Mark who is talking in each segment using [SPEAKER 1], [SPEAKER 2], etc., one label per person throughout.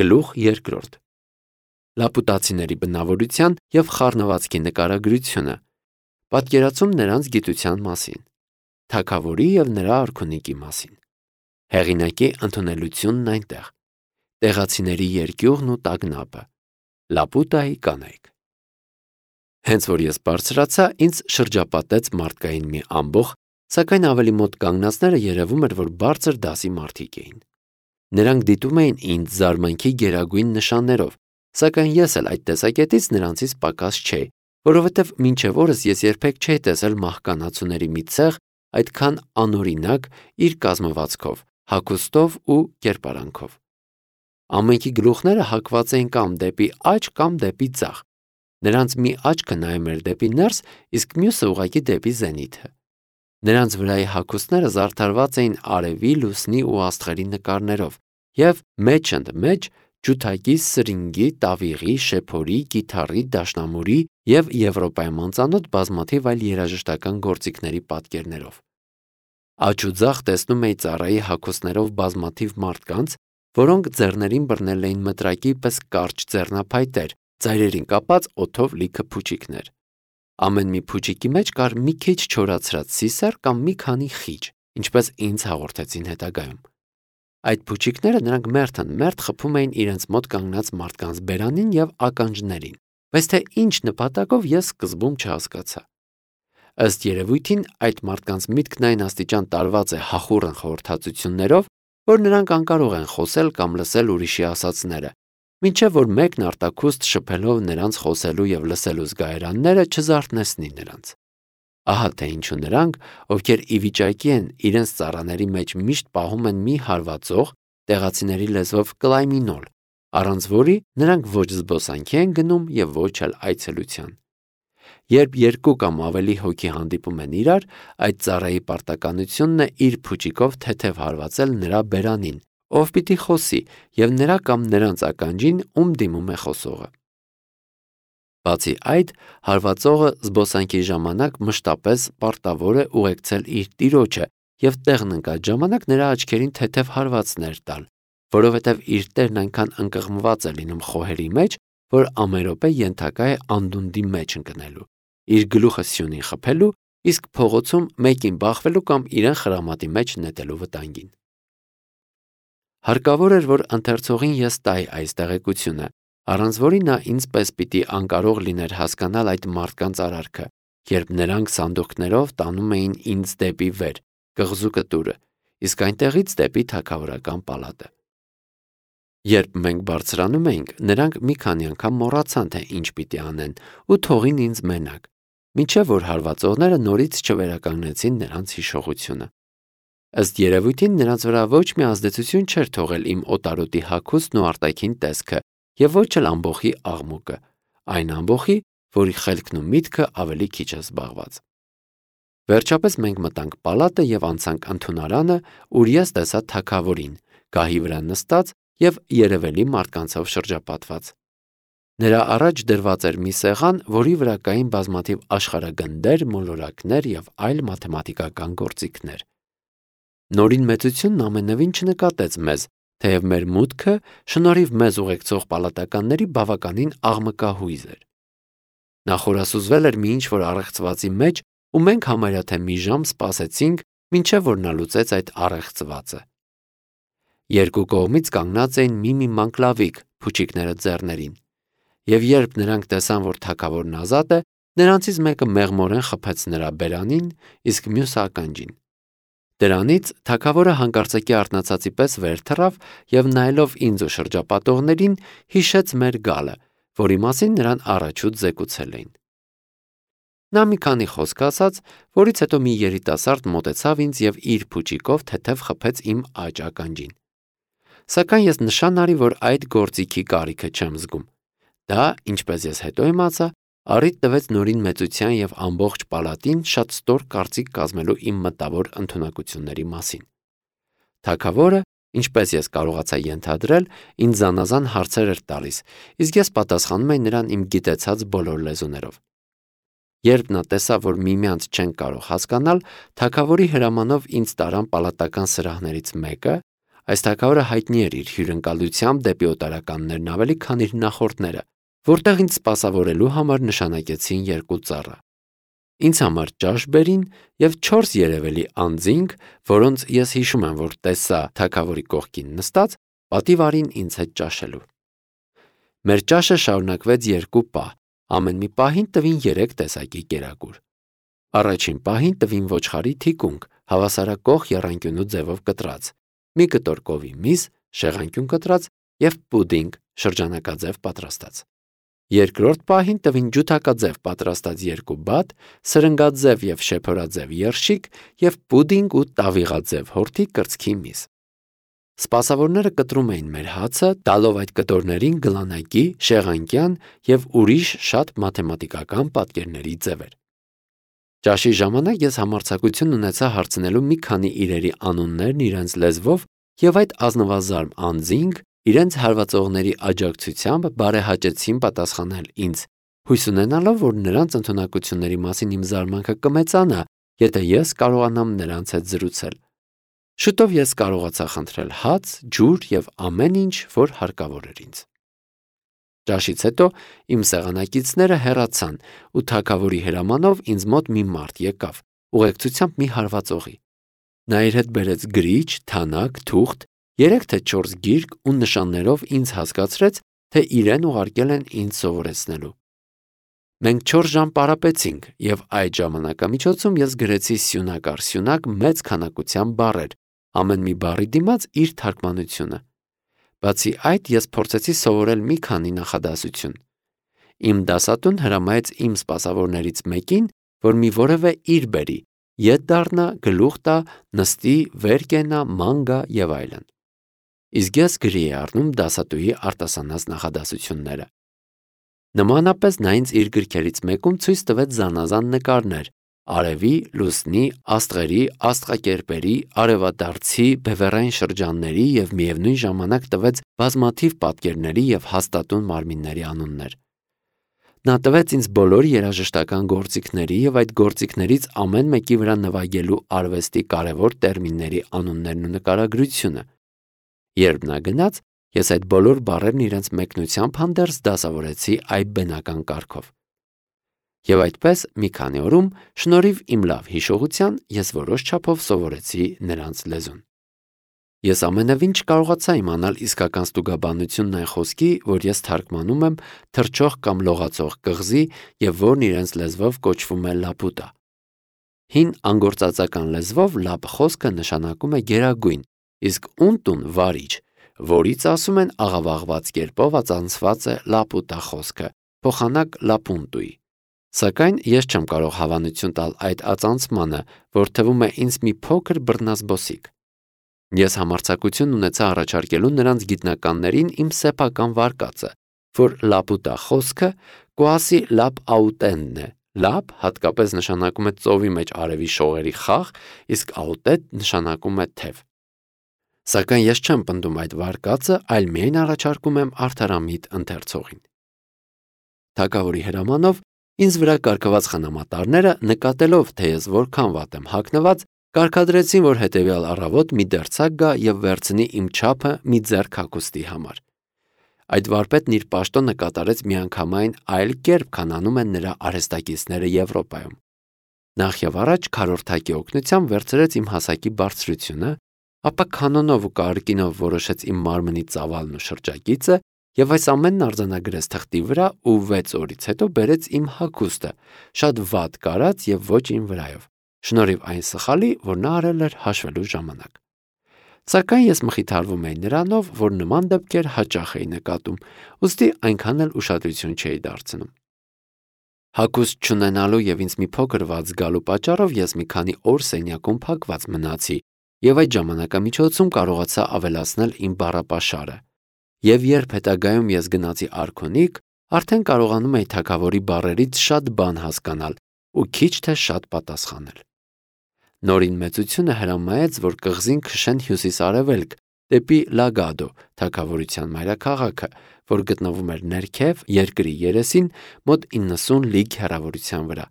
[SPEAKER 1] Գլուխ 2. Լապուտացիների բնավորության և խառնվածքի նկարագրությունը, պատկերացում նրանց գիտության մասին, թագավորի և նրա արքունիքի մասին, հեղինակի ընդունելությունն այնտեղ, տեղացիների երկյուղն ու տագնապը, Լապուտայի կանայք։ Հենց որ ես բարձրացա, ինձ շրջապատեց մարդկային մի ամբոխ, սակայն ավելի մոտ կանգնածները երևում էր, որ բարձր դասի մարդիկ էին։ Նրանք դիտում էին ինձ զարմանքի գերագույն նշաններով, սակայն ես էլ այդ տեսակետից նրանցից պակաս չէի, որովհետև մինչև օրս ես երբեք չէի տեսել մահկանացուների մի ցեղ այդքան անօրինակ իր կազմվածքով, հագուստով ու կերպարանքով։ Ամենքի գլուխները հակված էին կամ դեպի աջ կամ դեպի ձախ։ Նրանց մի աչքը նայում էր դեպի ներս, իսկ մյուսը ուղղակի դեպի զենիթը։ Նրանց վրայի հագուստները զարդարված էին արևի, լուսնի ու աստղերի նկարներով և մեջ ջութակի, սրինգի, տավիղի, շեփորի, կիթառի, դաշնամուրի և Եվրոպայում անծանոթ բազմաթիվ այլ երաժշտական գործիքների պատկերներով։ Աջ ու ձախ տեսնում էի ծառայի հագուստներով բազմաթիվ մարդկանց, որոնք ձեռներին բռնել էին մտրակի պես կարճ ձեռնափայտեր, ծայրերին կապած օդով լիքը փուչիկներ։ Ամեն մի փուչիկի մեջ կար մի քիչ չորացրած սիսեռ կամ մի քանի խիճ, ինչպես ինձ հաղորդեցին հետագայում։ Այդ փուչիկները նրանք մերթ խփում էին իրենց մոտ կանգնած մարդկանց բերանին և ականջներին, բայց թե ինչ նպատակով ես սկզբում չհասկացա։ Ըստ երևույթին այդ մարդկանց միտքն այն աստիճան տարված է հախուռն խորհրդածություններով, որ նրանք անկարող են խոսել կամ լսել ուրիշի ասածները, մինչև որ մեկն արտաքուստ շփելով նրանց խոսելու և լսելու զգայարանները չզարթնեցնի նրանց։ Ահա թե ինչու նրանք, ովքեր ի վիճակի են իրենց ծառաների մեջ միշտ պահում են մի հարվածող, տեղացիների լեզվով կլայմինոլ, առանց որի նրանք ոչ զբոսանքի են գնում և ոչ էլ այցելության։ Երբ երկու կամ ավելի հոգի հանդիպում են իրար, այդ ծառայի պարտականությունն է իր փուչիկով թեթև հարվածել նրա բերանին, ով պիտի խոսի, և նրա կամ նրանց ականջին, ում դիմում է խոսողը։ Բացի այդ, հարվածողը զբոսանքի ժամանակ մշտապես պարտավոր է ուղեկցել իր տիրոջը և տեղն ընկած ժամանակ նրա աչքերին թեթև հարվածներ տալ, որովհետև իր տերն այնքան ընկղմված է լինում խոհերի մեջ, որ ամեն րոպե ենթակա է անդունդի մեջ ընկնելու, իր գլուխը սյունին խփելու, իսկ փողոցում մեկին բախվելու կամ իրեն խրամատի մեջ նետելու վտանգին։ Հարկավոր էր, որ ընթերցողին ես տայի այս տեղեկությունը, առանց որի նա ինձ պես պիտի անկարող լիներ հասկանալ այդ մարդկանց արարքը, երբ նրանք սանդուղքներով տանում էին ինձ դեպի վեր, կղզու կտուրը, իսկ այնտեղից դեպի թագավորական պալատը։ Երբ մենք բարձրանում էինք, նրանք մի քանի անգամ մոռացան, թե ինչ պիտի անեն ու թողին ինձ մենակ, մինչև որ հարվածողները նորից չվերականգնեցին նրանց հիշողությունը։ Ըստ երևույթին նրանց վրա ոչ մի ազդեցություն չէր թողել իմ օտարոտի հագուստն ու արտաքին տեսքը և ոչ էլ ամբոխի աղմուկը, այն ամբոխի, որի խելքն ու միտքը ավելի քիչ է զբաղված։ Վերջապես մենք մտանք պալատը և անցանք ընդունարանը, ուր ես տեսա թագավորին, գահի վրա նստած և երևելի մարդկանցով շրջապատված։ Նրա առաջ դրված էր մի սեղան, որի վրա կային բազմաթիվ աշխարհագնդեր, մոլորակներ և այլ մաթեմատիկական գործիքներ։ Նորին մեծությունն ամենևին չնկատեց մեզ, թեև մեր մուտքը շնորհիվ մեզ ուղեկցող պալատականների բավականին աղմկահույզ էր։ Նա խորասուզվել էր մի ինչ-որ առեղծվածի մեջ, ու մենք համարյա թե մի ժամ սպասեցինք, մինչև որ նա լուծեց այդ առեղծվածը։ Երկու կողմից կանգնած էին մի մանկլավիկ, փուչիկները ձեռներին, և երբ նրանք տեսան, որ թագավորն ազատ է, նրանցից մեկը մեղմորեն խփեց նրա բերանին, իսկ մյուսը ականջին։ Դրանից թագավորը հանկարծակի արթնացածի պես վեր թռավ և նայելով ինձ ու շրջապատողներին, հիշեց մեր գալը, որի մասին նրան առաջուց զեկուցել էին։ Նա մի քանի խոսք ասաց, որից հետո մի երիտասարդ մոտեցավ ինձ և իր փուչիկով թեթև խփեց իմ աջ ականջին։ Սակայն ես նշան արի, որ այդ գործիքի կարիքը չեմ զգում։ Դա, ինչպես ես հետո իմացա, առիթ տվեց նորին մեծության և ամբողջ պալատին շատ ստոր կարծիք կազմելու իմ մտավոր ընդունակությունների մասին։ Թագավորը, ինչպես ես կարողացա ենթադրել, ինձ զանազան հարցեր էր տալիս, իսկ ես պատասխանում էի նրան իմ գիտեցած բոլոր լեզուներով։ Երբ նա տեսավ, որ միմյանց չենք կարող հասկանալ, թագավորի հրամանով ինձ տարան պալատական սրահներից մեկը, Այս թագավորը հայտնի էր իր հյուրընկալությամբ դեպի օտարականներն ավելի քան իր նախորդները, որտեղ ինձ սպասավորելու համար նշանակեցին 2 ծառա։ Ինձ համար ճաշ բերին և 4 երևելի անձինք, որոնց ես հիշում եմ, որ տեսա թագավորի կողքին նստած, պատիվ արին ինձ հետ ճաշելու։ Մեր ճաշը շարունակվեց 2 պահ, ամեն մի պահին տվին 3 տեսակի կերակուր։ Առաջին պահին տվին ոչխարի թիկունք, հավասարակող եռանկյունու ձևով կտրած, մի կտոր կովի միս, շեղանկյուն կտրած և պուդինգ շրջանակաձև պատրաստած։ Երկրորդ պահին տվին ջութակաձև պատրաստած 2 բատ, սրնգաձև և շեփորաձև երշիկ և պուդինգ ու տավիղաձև հորթի կրծքի միս։ Սպասավորները կտրում էին մեր հացը, տալով այդ կտորներին գլանակի, շեղանկյան և ուրիշ շատ մաթեմատիկական պատկերների ձևեր։ Ճաշի ժամանակ ես համարձակություն ունեցա հարցնելու մի քանի իրերի անուններն իրենց լեզվով և այդ ազնվազարմ անձինք իրենց հարվածողների աջակցությամբ բարեհաճեցին պատասխանել ինձ, հույս ունենալով, որ նրանց ընդունակությունների մասին իմ զարմանքը կմեծանա, եթե ես կարողանամ նրանց հետ զրուցել։ Շուտով ես կարողացա խնդրել հաց, ջուր և ամեն ինչ, որ հարկավոր էր ինձ։ Ճաշից հետո իմ սեղանակիցները հեռացան ու թագավորի հրամանով ինձ մոտ մի մարդ եկավ, ուղեկցությամբ մի հարվածողի։ Նա իր հետ բերեց գրիչ, թանակ, թուղթ, 3 թե 4 գիրք ու նշաններով ինձ հասկացրեց, թե իրեն ուղարկել են ինձ սովորեցնելու։ Մենք 4 ժամ պարապեցինք, և այդ ժամանակամիջոցում ես գրեցի սյունակ առ սյունակ մեծ քանակությամբ բառեր, ամեն մի բառի դիմաց իր թարգմանությունը։ Բացի այդ, ես փորձեցի սովորել մի քանի նախադասություն։ Իմ դասատուն հրամայեց իմ սպասավորներից մեկին, որ մի որևէ իր բերի, ետ դառնա, գլուխ տա, նստի, վեր կենա, ման գա և այլն։ Իսկ ես գրի էի առնում դասատուի արտասանած նախադասությունները։ Նմանապես նա ինձ իր գրքերից մեկում ցույց տվեց զանազան նկարներ արևի, լուսնի, աստղերի, աստղակերպերի, արևադարձի, բևեռային շրջանների և միևնույն ժամանակ տվեց բազմաթիվ պատկերների և հաստատուն մարմինների անուններ։ Նա տվեց ինձ բոլոր երաժշտական գործիքների և այդ գործիքներից ամեն մեկի վրա նվագելու արվեստի կարևոր տերմինների անուններն ու նկարագրությունը։ Երբ նա գնաց, ես այդ բոլոր բառերն իրենց մեկնությամբ հանդերձ դասավորեցի այդ բնական կարգով։ Եվ այդպես մի քանի օրում, շնորհիվ իմ լավ հիշողության, ես որոշ չափով սովորեցի նրանց լեզուն։ Ես ամենևին չկարողացա իմանալ իսկական ստուգաբանությունն այն խոսքի, որ ես թարգմանում եմ թռչող կամ լողացող կղզի և որն իրենց լեզվով կոչվում է լապուտա։ Հին անգործածական լեզվով լապ խոսքը նշանակում է գերագույն, իսկ ունտուն վարիչ, որից ասում են աղավաղված կերպով ածանցված է լապուտա խոսքը, փոխանակ լապունտուի։ Սակայն ես չեմ կարող հավանություն տալ այդ ածանցմանը, որ թվում է ինձ մի փոքր բռնազբոսիկ։ Ես համարձակություն ունեցա առաջարկելու նրանց գիտնականներին իմ սեփական վարկածը, որ լապուտա խոսքը կոասի լապ աուտենն է։ Լապ հատկապես նշանակում է ծովի մեջ արևի շողերի խաղ, իսկ աուտետ նշանակում է թև։ Սակայն ես չեմ պնդում այդ վարկածը, այլ միայն առաջարկում եմ արդարամիտ ընթերցողին։ Թագավորի հրամանով ինձ վրա կարգված խնամատարները, նկատելով, թե ես որքան վատ եմ հագնված, կարգադրեցին, որ հետևյալ առավոտ մի դերձակ գա և վերցնի իմ չափը մի ձեռք հագուստի համար։ Այդ վարպետն իր պաշտոնը կատարեց միանգամայն այլ կերպ, քան անում են նրա արհեստակիցները Եվրոպայում։ Նախ և առաջ քառորդակի օգնությամբ վերցրեց իմ հասակի բարձրությունը, ապա կանոնով ու կարկինով որոշեց իմ մարմնի ծավալն ու շրջագիծը և այս ամենն արձանագրեց թղթի վրա ու 6 օրից հետո բերեց իմ հագուստը, շատ վատ կարած և ոչ իմ վրայով, շնորհիվ այն սխալի, որ նա արել էր հաշվելու ժամանակ։ Սակայն ես մխիթարվում էի նրանով, որ նման դեպքեր հաճախ էի նկատում, ուստի այնքան էլ ուշադրություն չէի դարձնում։ Հագուստ չունենալու և ինձ մի փոքր վատ զգալու պատճառով ես մի քանի օր սենյակում փակված մնացի և այդ ժամանակամիջոցում կարողացա ավելացնել իմ բառապաշարը։ Եվ երբ հետագայում ես գնացի արքունիք, արդեն կարողանում էի թագավորի բառերից շատ բան հասկանալ ու քիչ թե շատ պատասխանել։ Նորին մեծությունը հրամայեց, որ կղզին քշեն հյուսիս-արևելք, դեպի Լագադո թագավորության մայրաքաղաքը, որ գտնվում էր ներքև երկրի երեսին մոտ 90 լիգ հեռավորության վրա։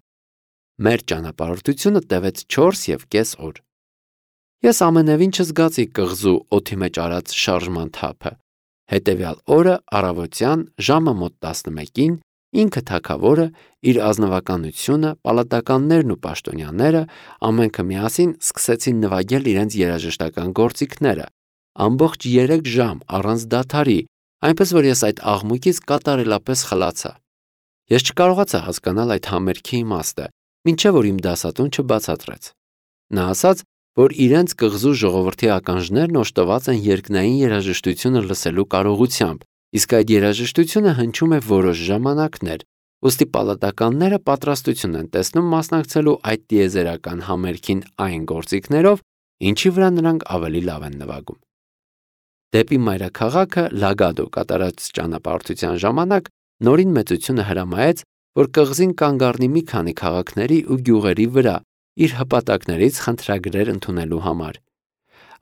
[SPEAKER 1] Մեր ճանապարհորդությունը տևեց 4,5 օր։ Ես ամենևին չզգացի կղզու օդի մեջ արած շարժման թափը։ Հետևյալ օրը առավոտյան ժամը մոտ 11-ին ինքը թագավորը, իր ազնվականությունը, պալատականներն ու պաշտոնյաները ամենքը միասին սկսեցին նվագել իրենց երաժշտական գործիքները, ամբողջ 3 ժամ առանց դադարի, այնպես որ ես այդ աղմուկից կատարելապես խլացա։ Ես չկարողացա հասկանալ այդ համերգի իմաստը, մինչև որ իմ դասատուն չբացատրեց։ Նա ասաց, որ իրենց կղզու ժողովրդի ականջներն օժտված են երկնային երաժշտությունը լսելու կարողությամբ, իսկ այդ երաժշտությունը հնչում է որոշ ժամանակներ, ուստի պալատականները պատրաստություն են տեսնում մասնակցելու այդ տիեզերական համերգին այն գործիքներով, ինչի վրա նրանք ավելի լավ են նվագում։ Դեպի մայրաքաղաքը Լագադո կատարած ճանապարհորդության ժամանակ նորին մեծությունը հրամայեց, որ կղզին կանգ առնի մի քանի քաղաքների ու գյուղերի վրա իր հպատակներից խնդրագրեր ընդունելու համար։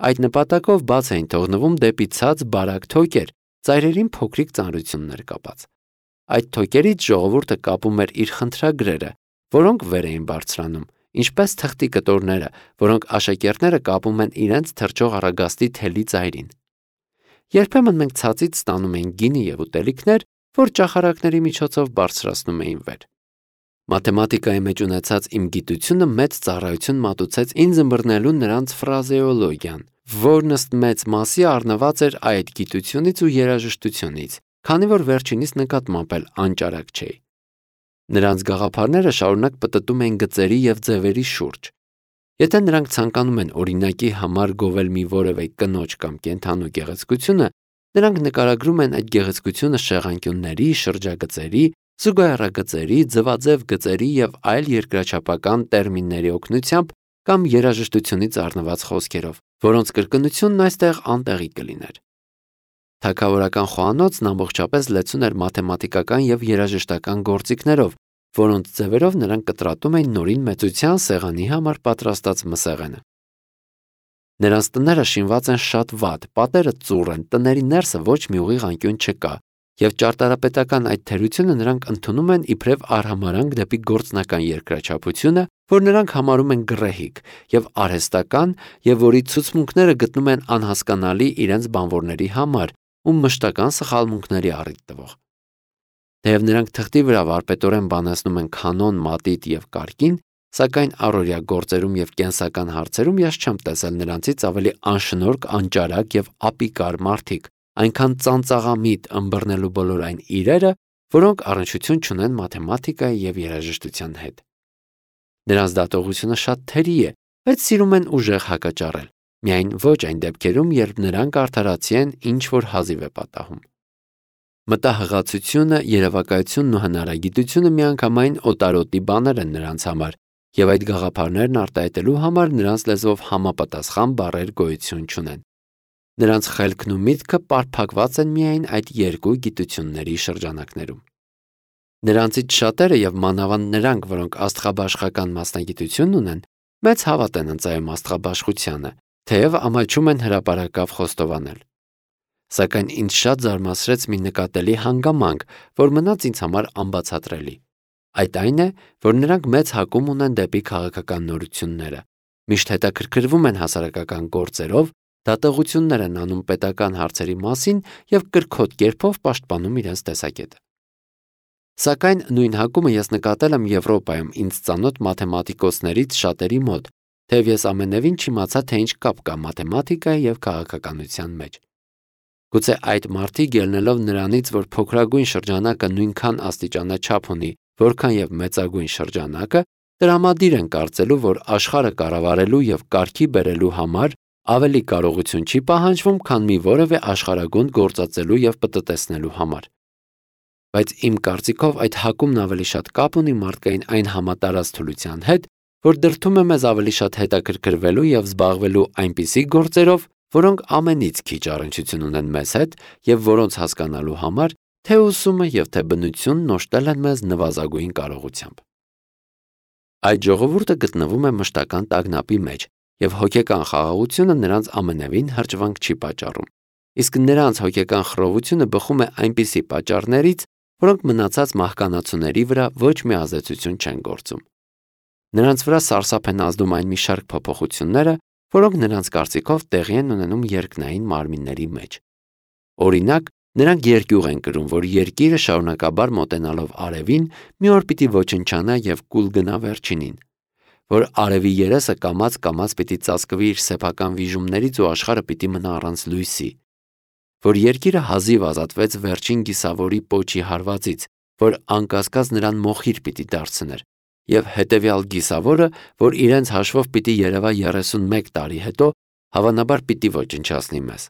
[SPEAKER 1] Այդ նպատակով բաց էին թողնվում դեպի ցած բարակ թոկեր, ծայրերին փոքրիկ ծանրություններ կապած։ Այդ թոկերից ժողովուրդը կապում էր իր խնդրագրերը, որոնք վեր էին բարձրանում, ինչպես թղթի կտորները, որոնք աշակերտները կապում են իրենց թրջող առագաստի թելի ծայրին։ Երբեմն մենք ցածից ստանում էինք գինի և ուտելիքներ, որ ճախարակների միջոցով բարձրացնում էին վեր։ Մաթեմատիկայի մեջ ունեցած իմ գիտությունը մեծ ծառայություն մատուցեց ինձ ըմբռնելու նրանց ֆրազեոլոգիան, որն ըստ մեծ մասի առնված էր այդ գիտությունից ու երաժշտությունից, քանի որ վերջինիս նկատմամբ էլ անճարակ չէի։ Նրանց գաղափարները շարունակ պտտում էին գծերի և ձևերի շուրջ։ Եթե նրանք ցանկանում են օրինակի համար գովել մի որևէ կնոջ կամ կենդանու գեղեցկությունը, նրանք նկարագրում են այդ գեղեցկությունը շեղանկյունների, շրջագծերի, զուգահեռագծերի, ձվաձև գծերի և այլ երկրաչափական տերմինների օգնությամբ կամ երաժշտությունից առնված խոսքերով, որոնց կրկնությունն այստեղ անտեղի կլիներ։ Թագավորական խոհանոցն ամբողջապես լեցուն էր մաթեմատիկական և երաժշտական գործիքներով, որոնց ձևերով նրանք կտրատում էին նորին մեծության սեղանի համար պատրաստած մսեղենը։ Նրանց տները շինված են շատ վատ, պատերը ծուռ են, տների ներսը ոչ մի ուղիղ անկյուն չկա, և ճարտարապետական այդ թերությունը նրանք ընդունում են իբրև արհամարհանք դեպի գործնական երկրաչափությունը, որ նրանք համարում են գռեհիկ, և արհեստական, և որի ցուցմունքները գտնում են անհասկանալի իրենց բանվորների համար ու մշտական սխալմունքների առիթ տվող։ Թեև նրանք թղթի վրա վարպետորեն բանացնում են կանոն, մատիտ և կարգին, սակայն առօրյա գործերում և կենսական հարցերում ես չեմ տեսել նրանցից ավելի անշնորհք, անճարակ և ապիկար մարդիկ, այնքան ծանծաղամիտ ըմբռնելու բոլոր այն իրերը, որոնք առնչություն չունեն մաթեմատիկայի և երաժշտության հետ։ Նրանց դատողությունը շատ թերի է, բայց սիրում են ուժեղ հակաճառել, միայն ոչ այն դեպքերում, երբ նրանք արդարացի են, ինչ որ հազիվ է պատահում։ Մտահղացությունը, երևակայությունն ու հնարագիտությունը միանգամայն օտարոտի բաներ են նրանց համար, և այդ գաղափարներն արտահայտելու համար նրանց լեզվով համապատասխան բառեր գոյություն չունեն։ Նրանց խելքն ու միտքը պարփակված են միայն այդ երկու գիտությունների շրջանակներում։ Նրանցից շատերը և մանավանդ նրանք, որոնք աստղաբաշխական մասնագիտություն ունեն, մեծ հավատ են ընծայում աստղաբաշխությանը, թեև ամաչում են հրապարակավ խոստովանել։ Սակայն ինձ շատ զարմացրեց մի նկատելի հանգամանք, որ մնաց ինձ համար անբացատրելի։ Այդ այն է, որ նրանք մեծ հակում ունեն դեպի քաղաքական նորությունները, միշտ հետաքրքրվում են հասարակական գործերով, դատողություններ են անում պետական հարցերի մասին և կրքոտ կերպով պաշտպանում իրենց տեսակետը։ Սակայն նույն հակումը ես նկատել եմ Եվրոպայում ինձ ծանոթ մաթեմատիկոսներից շատերի մոտ, թեև ես ամենևին չիմացա, թե ինչ կապ կա մաթեմատիկայի և քաղաքականության մեջ։ Գուցե այդ մարդիկ ելնելով նրանից, որ փոքրագույն շրջանակը նույնքան աստիճանաչափ ունի, որքան և մեծագույն շրջանակը, տրամադիր են կարծելու, որ աշխարհը կառավարելու և կարգի բերելու համար ավելի կարողություն չի պահանջվում, քան մի որևէ աշխարհագունդ գործածելու և պտտեցնելու համար։ Բայց իմ կարծիքով այդ հակումն ավելի շատ կապ ունի մարդկային այն համատարած թուլության հետ, որ դրդում է մեզ ավելի շատ հետաքրքրվելու և զբաղվելու այնպիսի գործերով, որոնք ամենից քիչ առնչություն ունեն մեզ հետ և որոնց հասկանալու համար թե ուսումը և թե բնությունն օժտել են մեզ նվազագույն կարողությամբ։ Այդ ժողովուրդը գտնվում է մշտական տագնապի մեջ, և հոգեկան խաղաղությունը նրանց ամենևին հրճվանք չի պատճառում, իսկ նրանց հոգեկան խռովությունը բխում է այնպիսի պատճառներից, որոնք մնացած մահկանացուների վրա ոչ մի ազդեցություն չեն գործում։ Նրանց վրա սարսափ են ազդում այն մի շարք փոփոխությունները, որոնք նրանց կարծիքով տեղի են ունենում երկնային մարմինների մեջ։ Օրինակ, նրանք երկյուղ են կրում, որ երկիրը շարունակաբար մոտենալով արևին մի օր պիտի ոչնչանա եւ կուլ գնա վերջինին, որ արևի երեսը կամաց պիտի ծածկվի իր սեփական վիժումներից ու աշխարհը պիտի մնա առանց լույսի, որ երկիրը հազիվ ազատվեց վերջին գիսավորի պոչի հարվածից, որ անկասկած նրան մոխիր պիտի դարձներ, եւ հետեւյալ գիսավորը, որ իրենց հաշվով պիտի երևա 31 տարի հետո, հավանաբար պիտի ոչնչացնի մեզ,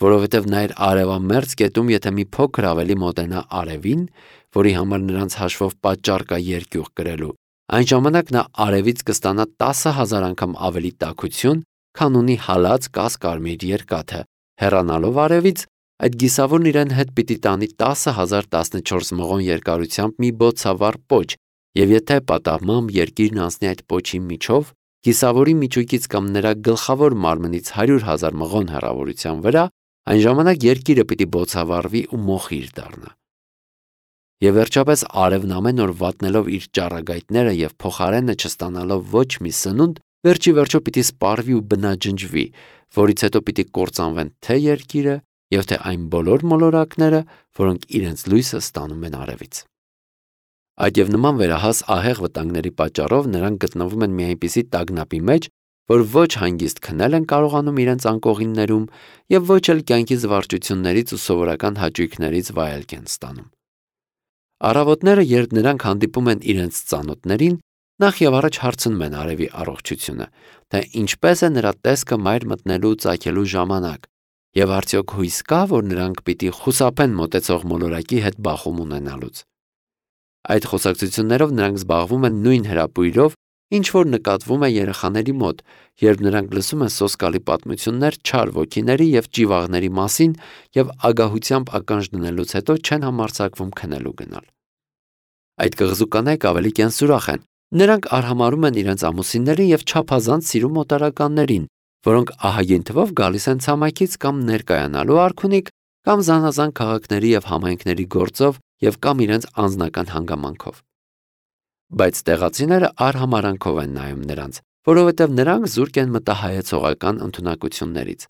[SPEAKER 1] որովհետեւ նա իր արևամերձ կետում եթե մի փոքր ավելի մոտենա արևին, որի համար նրանց հաշվով պատճառ կա երկյուղ կրելու, այն ժամանակ նա արևից կստանա 10,000 անգամ ավելի տաքություն, քան ունի հալած կասկարմիր երկաթը, հեռանալով արևից, այդ գիսավորն իրեն հետ պիտի տանի 10,014 մղոն երկարությամբ մի բոցավառ պոչ, եւ եթե պատահմամբ երկիրն անցնի այդ պոչի միջով, գիսավորի միջուկից կամ նրա գլխավոր մարմնից 100,000 մղոն հեռավորության վրա, այն ժամանակ երկիրը պիտի բոցավառվի ու մոխիր դառնա։ Եվ վերջապես արևն ամեն օր վատնելով իր ճառագայթները եւ փոխարենը չստանալով ոչ մի սնունդ, վերջի վերջո պիտի սպառվի ու բնաջնջվի, որից հետո պիտի կործանվեն թե երկիրը եւ թե այն բոլոր մոլորակները, որոնք իրենց լույսը ստանում են արևից։ Այդ եւ նման վերահաս ահեղ վտանգների պատճառով նրանք գտնվում են մի այնպիսի տագնապի մեջ, որ ոչ հանգիստ քնել են կարողանում իրենց անկողիններում եւ ոչ էլ կյանքի զվարճություններից ու սովորական հաճույքներից վայելք են ստանում։ Առավոտները, երբ նրանք հանդիպում են իրենց ծանոթներին, նախ եւ առաջ հարցնում են արևի առողջությունը, թե ինչպես է նրա տեսքը մայր մտնելու ու ծագելու ժամանակ, եւ արդյոք հույս կա, որ նրանք պիտի խուսափեն մոտեցող մոլորակի հետ բախում ունենալուց։ Այդ խոսակցություններով նրանք զբաղվում են նույն հրապույրով, ինչ որ նկատվում է երեխաների մոտ, երբ նրանք լսում են սոսկալի պատմություններ չար ոգիների եւ ճիվաղների մասին եւ ագահությամբ ականջ դնելուց հետո չեն համարձակվում քնելու գնալ։ Այդ կղզու կանայք ավելի կենսուրախ են։ Նրանք արհամարհում են իրենց ամուսիններին եւ չափազանց սիրում օտարականներին, որոնք ահագին թվով գալիս են ցամաքից կամ ներկայանալու արքունիք, կամ զանազան քաղաքների եւ համայնքների գործով եւ կամ իրենց անձնական հանգամանքով։ Բայց տեղացիները արհամարանքով են նայում նրանց, որովհետև նրանք զուրկ են մտահայեցողական ընդունակություններից։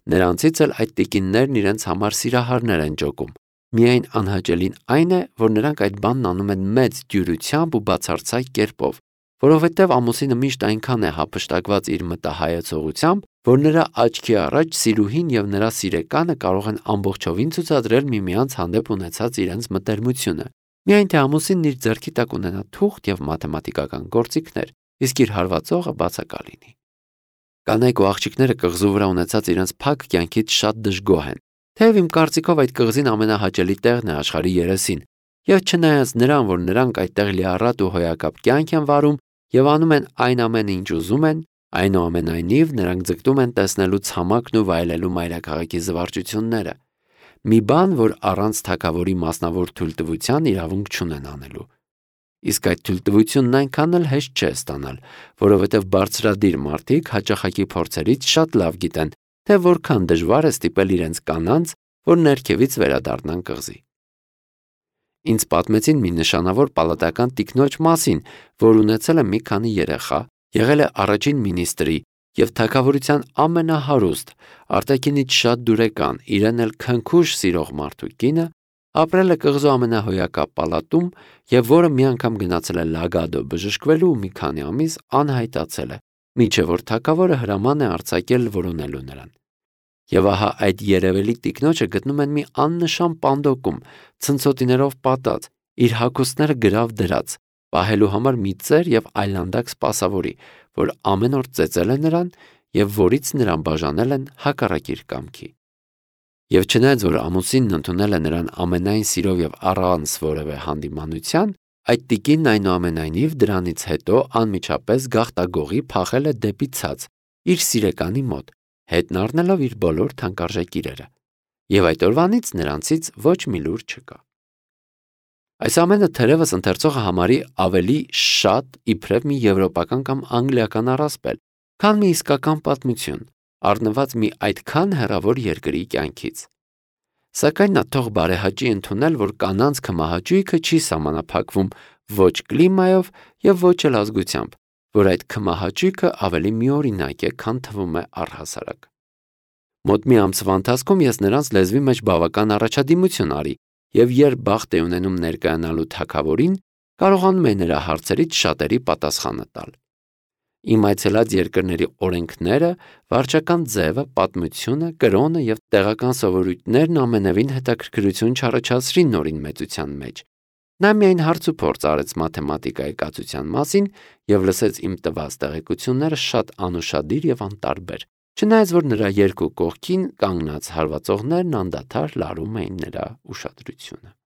[SPEAKER 1] Նրանցից էլ այդ տիկիններն իրենց համար սիրահարներ են ջոկում։ Միայն անհաճելին այն է, որ նրանք այդ բանն անում են մեծ դյուրությամբ ու բացարձակ կերպով, որովհետև ամուսինը միշտ այնքան է հափշտակված իր մտահայեցողությամբ, որ նրա աչքի առաջ սիրուհին եւ նրա սիրեկանը կարող են ամբողջովին ցուցադրել միմյանց հանդեպ ունեցած իրենց մտերմությունը։ Միայն թե ամուսինն իր ձեռքի տակ ունենա թուղթ եւ մաթեմատիկական գործիքներ, իսկ իր հարվածողը բացակա լինի։ Կանայք ու աղջիկները կղզու վրա ունեցած իրենց փակ կյանքից շատ դժգոհ են։ Թեև իմ կարծիքով այդ կղզին ամենահաճելի տեղն է աշխարհի երեսին, եւ չնայած նրան, որ նրանք այդտեղ լիառատ ու հոյակապ կյանք են վարում եւ անում են այն ամենը, ինչ ուզում են, այնուամենայնիվ նրանք ձգտում են տեսնելու ցամաքն ու վայելելու մայրաքաղաքի զվարճությունները։ Մի բան, որ առանց թագավորի մասնավոր թույլտվության իրավունք չունեն անելու։ Իսկ այդ թույլտվությունն այնքան էլ հեշտ չէ ստանալ, որովհետև բարձրադիր մարդիկ հաճախակի փորձերից շատ լավ գիտեն, թե որքան դժվար է ստիպել իրենց կանանց, որ ներքևից վերադառնան կղզի։ Ինձ պատմեցին մի նշանավոր պալատական տիկնոջ մասին, որ ունեցել է մի քանի երեխա, եղել է առաջին մինիստրի եւ թագավորության ամենահարուստ, արտաքինից շատ դուրեկան, իրեն էլ քնքուշ սիրող մարդու կինը, ապրել է կղզու ամենահոյակապ պալատում եւ որը մի անգամ գնացել է Լագադո բժշկվելու ու մի քանի ամիս անհայտացել է, մինչեւ որ թագավորը հրաման է արձակել որոնելու նրան։ Եվ ահա այդ երևելի տիկնոջը գտնում են մի աննշան պանդոկում, ցնցոտիներով պատած, իր հագուստները գրավ դրած, պահելու համար մի ծեր եւ այլանդակ սպասավորի, որ ամեն օր ծեծել է նրան եւ որից նրան բաժանել են հակառակ իր կամքի։ Եվ չնայած որ ամուսինն ընդունել է նրան ամենայն սիրով եւ առանց որևէ հանդիմանության, այդ տիկինն այնուամենայնիվ դրանից հետո անմիջապես գաղտագողի փախել է դեպի ցած, իր սիրեկանի մոտ, հետն առնելով իր բոլոր թանկարժեք իրերը։ Եվ այդ օրվանից նրանցից ոչ մի լուր չկա։ Այս ամենը թերևս ընթերցողը համարի ավելի շատ իբրև մի եվրոպական կամ անգլիական առասպել, քան մի իսկական պատմություն, առնված մի այդքան հեռավոր երկրի կյանքից։ Սակայն նա թող բարեհաճի ընդունել, որ կանանց քմահաճույքը չի սահմանափակվում ոչ կլիմայով եւ ոչ էլ ազգությամբ, որ այդ քմահաճույքը ավելի միօրինակ է, քան թվում է առհասարակ։ Մոտ մի ամսվա ընթացքում ես նրանց լեզվի մեջ բավական առաջադիմություն արի, եւ երբ բախտ է ունենում ներկայանալու թագավորին, կարողանում է նրա հարցերից շատերի պատասխանը տալ։ Իմ այցելած երկրների օրենքները, վարչական ձևը, պատմությունը, կրոնը եւ տեղական սովորույթներն ամենևին հետաքրքրություն չառաջացրին Նորին մեծության մեջ։ Նա միայն հարց ու փորձ արեց մաթեմատիկայի կացության մասին եւ լսեց իմ տված տեղեկությունները շատ անուշադիր եւ անտարբեր, չնայած որ նրա երկու կողքին կանգնած հարվածողներն անդադար լարում էին նրա ուշադրությունը։